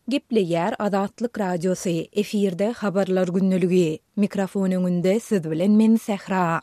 Gepleýär Azatlyk Radiosy, efirde Habarlar gündeligi. Mikrofon öňünde siz bilen men Sähra.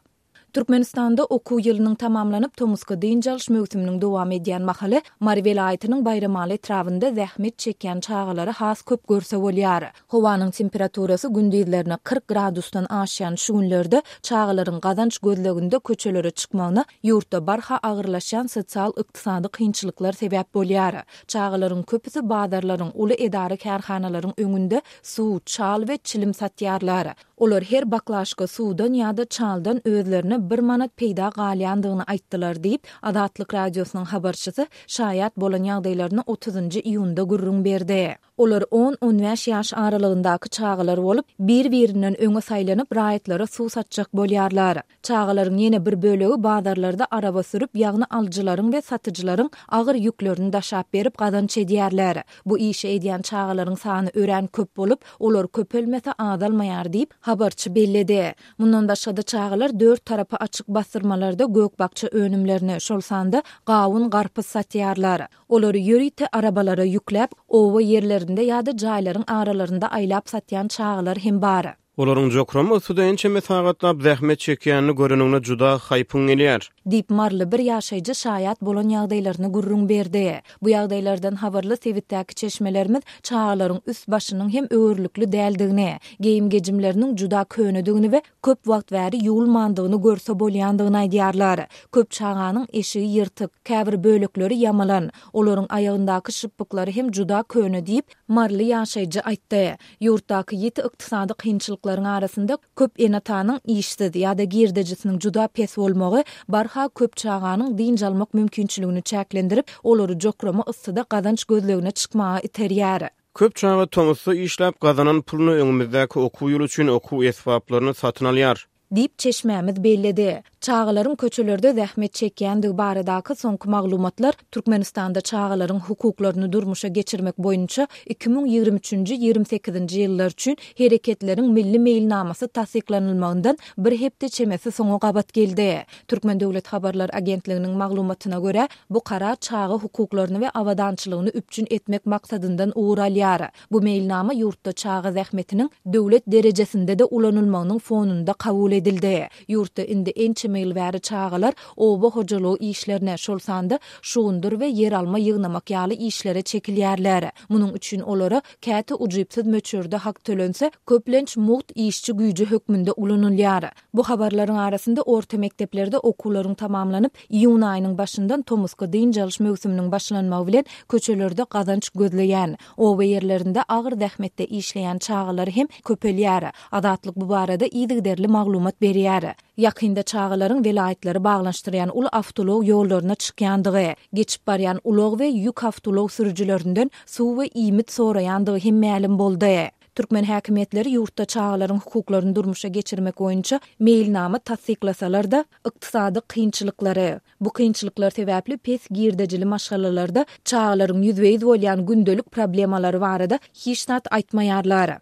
Türkmenistanda okuw ýylynyň tamamlanyp, tomusky dynç alyş möwsüminiň dowam edýän mahaly Mary welaýatynyň Baýramaly etrabynda zähmet çekýän çagalary has köp görse bolýar. Howanyň temperaturasy gündizlerine 40 gradusdan aşýan şu günlerde çagalaryň gazanç gözleginde köçelere çykmagyna ýurtda barha agyrlaşýan sosial-ykdysady kynçylyklar sebäp bolýar. Çagalaryň köpüsi bazarlaryň, uly edara-kärhanalaryň öňünde suw, çal we çilim satýarlar. Olar her baklaşka suwdan ýa-da çaldan özlerine bir manat peýda galýandygyny aýtdylar diýip, Azatlyk Radiosynyň habarçysy şaýat bolan ýagdaýlaryny otuzynjy iýunda gürrüň berdi. Olar on-on bäş ýaş aralygyndaky çagalar bolup, bir-birinden öňe saýlanyp, raýatlara suw satjak bolýarlar. Çagalaryň ýene bir bölegi bazarlarda araba sürüp, ýagny alyjylaryň we satyjylaryň agyr ýüklerini daşap berip gazanç edýärler. Bu işi edýän çagalaryň sany örän köp bolup, olar köpelmese azalmaýar diýip, habarçy belledi. Mundan başga-da çagalar dört tarapy açyk bassyrmalarda gök-bakja önümlerini, şol sanda gawun-garpyz satýarlar. Olary ýörite arabalara ýükläp, oba ýerlerinde ýa-da jaýlaryň aralarynda aýlap satýan çagalar hem bar. Olaryň jokrama yssyda ençeme sagatlap zähmet çekýänini göreniňde juda haýpyň gelýär. Diýip, maryly bir ýaşaýjy şaýat bolan ýagdaýlaryny gürrüň berdi. Bu ýagdaýlardan habarly sebitdäki çeşmelerimiz çagalaryň üst-başynyň hem öwerlikli däldigini, geýim-gejimleriniň juda könedigini we köp wagt bäri ýuwulmandygyny görse bolýandygyny aýdýarlar. Köp çaganyň eşigi ýyrtyk, käbir bölekleri ýamalan, olaryň aýagyndaky şypbyklary hem juda köne diýip, maryly ýaşaýjy aýtdy. Ýurtdaky ýiti ykdysady kynçylyklaryň arasynda köp ene-atanyň işsiz ýa-da girdejisiniň juda pes bolmagy barha köp çaganyň dynç almak mümkinçiligini çäklendirip, olary jokrama yssyda gazanç gözlegine çykmaga iterýär. Köp çaga tomusda işläp gazanan puluna öňümizdäki okuw ýyly üçin okuw esbaplaryny satyn alýar. Diýip, çeşmämiz belledi. Çagalaryň köçelerde zähmet çekýändigi baradaky soňky maglumatlar Türkmenistanda çagalaryň hukuklaryny durmuşa geçirmek boýunça 2023 üçünji, 28-nji ýyllar üçin Hereketleriň milli meýilnamasy tassyklanylmagyndan bir hepde çemesi soňa gabat geldi. Türkmen döwlet habarlar agentliginiň maglumatyna görä, bu karar çaga hukuklaryny we abadançylygyny üpjün etmek maksadyndan ugur alýar. Bu meýilnama ýurtda çaga zähmetiniň döwlet derejesinde-de ulanylmagynyň fonunda kabul edildi. Ýurtda indi ençeme ýyl bäri çagalar oba hojalygy işlerine, şol sanda şugundyr we ýeralma ýygnamak ýaly işlere çekilýärler. Munuň üçin olara käte ujypsyz möçberde hak tölense, köplenç mugt işçi güýji hökmünde ulanylýar. Bu habarlaryň arasynda orta mekdeplerde okuwlaryň tamamlanyp, iýun aýynyň başyndan tomusky dynç alyş möwsüminiň başlanmagy bilen köçelerde gazanç gözleýän, oba ýerlerinde agyr zähmetde işleýän çagalar hem köpelýär. Azatlyk bu barada yzygiderli maglumat berýär. Ýakynda çagalaryň welaýatlary baglanyşdyrýan uly awtoulag ýollaryna çykýandygy, geçip barýan ulag we ýük awtoulag sürüjilerinden suw we iýmit soraýandygy hem mälim boldy. Türkmen häkimiýetleri ýurtda çagalaryň hukuklaryny durmuşa geçirmek boýunça meýilnama tassyklasalar-da, ykdysady kynçylyklary, bu kynçylyklar sebäpli pes girdejili maşgalalarda çagalaryň ýüzbe-ýüz bolýan gündelik problemalary barada hiç zat aýtmaýarlar.